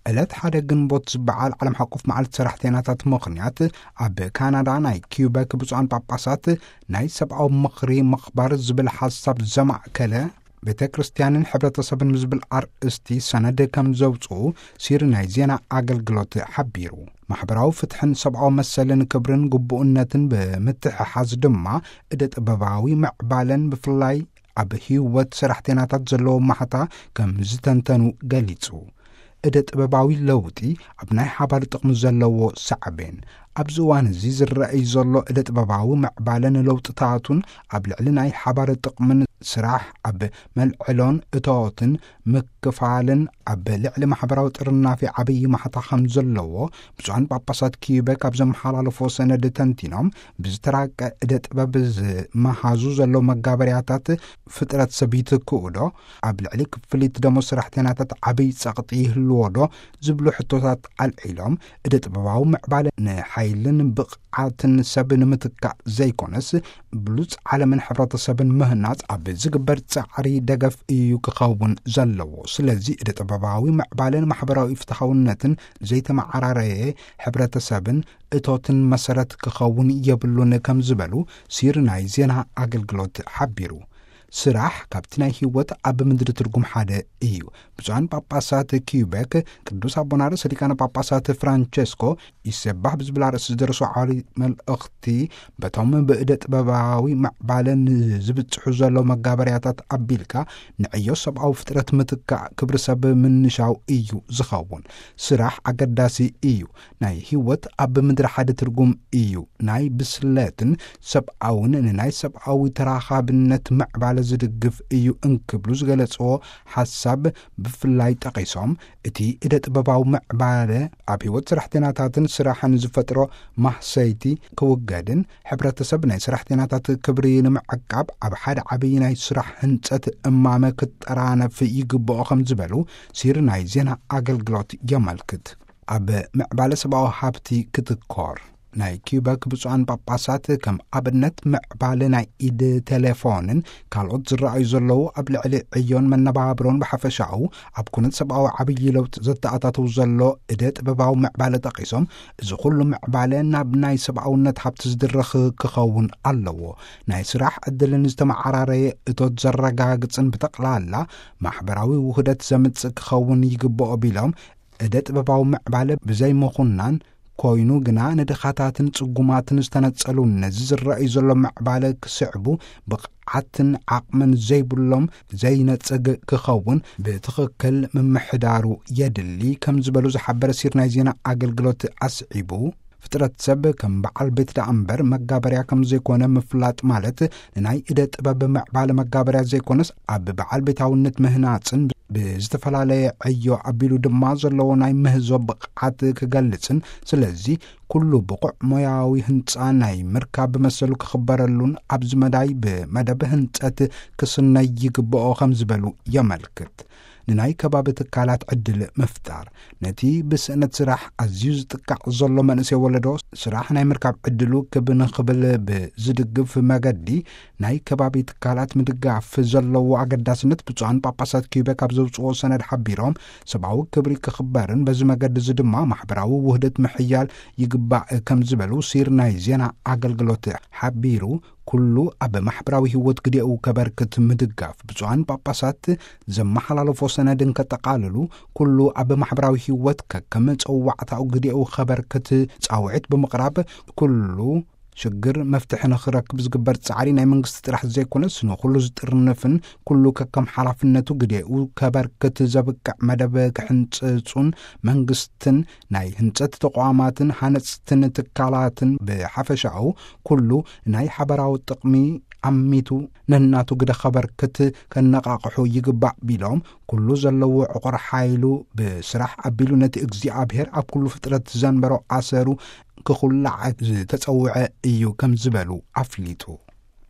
ዕለት ሓደ ግንቦት ዝበዓል ዓለም ሓቆፍ መዓልቲ ሰራሕተኛታት ምኽንያት፣ ኣብ ካናዳ ናይ ኪዩበክ ብፁዓን ጳጳሳት ናይ ሰብኣዊ ምኽሪ ምኽባር ዝብል ሓሳብ ዘማእከለ ቤተ ክርስቲያንን ሕብረተሰብን ብዝብል ኣርእስቲ ሰነድ ከም ዘውፅኡ ሲሪ ናይ ዜና ኣገልግሎት ሓቢሩ። ማሕበራዊ ፍትሕን ሰብኣዊ መሰልን ክብርን ግቡእነትን ብምትሕሓዝ ድማ፣ እደ ጥበባዊ ምዕባለን ብፍላይ ኣብ ህይወት ሰራሕተኛታት ዘለዎ ማሕታ ከም ዝተንተኑ ገሊጹ። እደ ጥበባዊ ለውጢ ኣብ ናይ ሓባር ጥቕሚ ዘለዎ ሳዕቤን። ኣብዚ እዋን እዚ ዝረኣይ ዘሎ እደ ጥበባዊ ምዕባለን ለውጥታቱን ኣብ ልዕሊ ናይ ሓባር ጥቕምን ስራሕ ኣብ መልዕሎን እቶትን ምክፋልን ኣብ ልዕሊ ማሕበራዊ ጥርናፊ ዓብዪ ማሕታ ከም ዘለዎ ብፁዓን ጳጳሳት ኪዩበክ ኣብ ዘመሓላለፎ ሰነድ ተንቲኖም፣ ብዝተራቀ እደ ጥበብ ዝመሃዙ ዘለዉ መጋበርያታት ፍጥረት ሰብ ይትክኡ ዶ? ኣብ ልዕሊ ክፍሊት ደሞዝ ሰራሕተኛታት ዓብዪ ጸቕጢ ይህልዎ ዶ? ዝብሉ ሕቶታት ኣልዒሎም፣ እደ ጥበባዊ ምዕባለ ንሓይልን ብቕዓትን ሰብ ንምትካእ ዘይኮነስ፣ ብሉጽ ዓለምን ሕብረተሰብን ምህናጽ ኣብ ዝግበር ጻዕሪ ደገፍ እዩ ክኸውን ዘለዎ። ስለዚ እደ ጥበባዊ ምዕባለን ማሕበራዊ ፍትሓውነትን ዘይተመዓራረየ ሕብረተሰብን እቶትን መሰረት ክኸውን የብሉን ከም ዝበሉ ሲሪ ናይ ዜና ኣገልግሎት ሓቢሩ። ስራሕ ካብቲ ናይ ህይወት ኣብ ምድሪ ትርጉም ሓደ እዩ። ብፁዓን ጳጳሳት ኪዩቤክ ቅዱስ ኣቦና ርእሰ ሊቃነ ጳጳሳት ፍራንቸስኮ ይሰባሕ ብዝብል ኣርእስቲ ዝደረሱ ዓሊ መልእኽቲ፣ በቶም ብእደ ጥበባዊ ምዕባለ ንዝብጽሑ ዘሎ መጋበርያታት ኣቢልካ፣ ንዕዮ ሰብኣዊ ፍጥረት ምትካእ ክብሪ ሰብ ምንሻው እዩ ዝኸውን። ስራሕ ኣገዳሲ እዩ። ናይ ህይወት ኣብ ምድሪ ሓደ ትርጉም እዩ። ናይ ብስለትን ሰብኣውን ንናይ ሰብኣዊ ተራኻብነት ምዕባለ ዝድግፍ እዩ እንክብሉ ዝገለጽዎ ሓሳብ ብፍላይ ጠቒሶም፣ እቲ እደ ጥበባዊ ምዕባለ ኣብ ህይወት ሰራሕተኛታትን ስራሕን ዝፈጥሮ ማህሰይቲ ክውገድን፣ ሕብረተሰብ ናይ ሰራሕተኛታት ክብሪ ንምዕቃብ ኣብ ሓደ ዓብዪ ናይ ስራሕ ህንጸት እማመ ክጠራነፍ ይግብኦ ከም ዝበሉ ሲሪ ናይ ዜና ኣገልግሎት የመልክት። ኣብ ምዕባለ ሰብኣዊ ሃብቲ ክትኮር። ናይ ኪዩበክ ብፁዓን ጳጳሳት ከም ኣብነት ምዕባለ ናይ ኢድ ቴሌፎንን ካልኦት ዝረኣዩ ዘለዉ ኣብ ልዕሊ ዕዮን መነባብሮን ብሓፈሻኡ ኣብ ኩነት ሰብኣዊ ዓብዪ ለውጢ ዘተኣታተው ዘሎ እደ ጥበባዊ ምዕባለ ጠቒሶም፣ እዚ ኩሉ ምዕባለ ናብ ናይ ሰብኣውነት ሃብቲ ዝድርኽ ክኸውን ኣለዎ። ናይ ስራሕ ዕድልን ዝተመዓራረየ እቶት ዘረጋግጽን ብጠቕላላ ማሕበራዊ ውህደት ዘምጽእ ክኸውን ይግብኦ ቢሎም፣ እደ ጥበባዊ ምዕባለ ብዘይ ምኹናን ኮይኑ ግና ንድኻታትን ጽጉማትን ዝተነጸሉ ነዚ ዝረኣዩ ዘሎ ምዕባለ ክስዕቡ ብቕዓትን ዓቕምን ዘይብሎም ዘይነጽግ ክኸውን ብትኽክል ምምሕዳሩ የድሊ ከም ዝበሉ ዝሓበረ ሲር ናይ ዜና ኣገልግሎት ኣስዒቡ፣ ፍጥረት ሰብ ከም በዓል ቤት ደኣ እምበር መጋበርያ ከም ዘይኮነ ምፍላጥ ማለት ንናይ እደ ጥበብ ምዕባለ መጋበርያ ዘይኮነስ ኣብ በዓል ቤታውነት ምህናጽን ብዝተፈላለየ ዕዮ ኣቢሉ ድማ ዘለዎ ናይ ምህዞ ብቕዓት ክገልጽን፣ ስለዚ ኩሉ ብቑዕ ሞያዊ ህንጻ ናይ ምርካብ መሰሉ ክኽበረሉን ኣብዚ መዳይ ብመደብ ህንጸት ክስነይ ይግብኦ ከም ዝበሉ የመልክት። ንናይ ከባቢ ትካላት ዕድል ምፍጣር። ነቲ ብስእነት ስራሕ ኣዝዩ ዝጥቃዕ ዘሎ መንእሰይ ወለዶ ስራሕ ናይ ምርካብ ዕድሉ ክብ ንኽብል ብዝድግፍ መገዲ ናይ ከባቢ ትካላት ምድጋፍ ዘለዎ ኣገዳስነት ብፁዓን ጳጳሳት ኪዩቤክ ኣብ ዘውፅኦ ሰነድ ሓቢሮም፣ ሰብኣዊ ክብሪ ክኽበርን በዚ መገዲ እዚ ድማ ማሕበራዊ ውህደት ምሕያል ይግባእ ከም ዝበሉ ሲር ናይ ዜና ኣገልግሎት ሓቢሩ። ኩሉ ኣብ ማሕበራዊ ህይወት ግዴኡ ከበርክት ምድጋፍ። ብፁዓን ጳጳሳት ዘመሓላለፎ ሰነድ እንከጠቓልሉ፣ ኩሉ ኣብ ማሕበራዊ ህይወት ከከም ጸዋዕታኡ ግዴኡ ከበርክት ጻውዒት ብምቕራብ፣ ኩሉ ሽግር መፍትሒ ንኽረክብ ዝግበር ጻዕሪ ናይ መንግስቲ ጥራሕ ዘይኮነስ ንኹሉ ዝጥርንፍን ኩሉ ከከም ሓላፍነቱ ግዴኡ ከበርክት ዘብቅዕ መደብ ክሕንጽጹን መንግስትን ናይ ህንጸት ተቋማትን ሃነጽትን ትካላትን ብሓፈሻኡ ኩሉ ናይ ሓበራዊ ጥቕሚ ኣሚቱ ነናቱ ግደ ከበርክት ከነቓቕሑ ይግባእ ቢሎም፣ ኩሉ ዘለዎ ዕቑር ሓይሉ ብስራሕ ኣቢሉ ነቲ እግዚኣብሔር ኣብ ኩሉ ፍጥረት ዘንበሮ ኣሰሩ ክኹላዕ ዝተጸውዐ እዩ ከም ዝበሉ ኣፍሊጡ።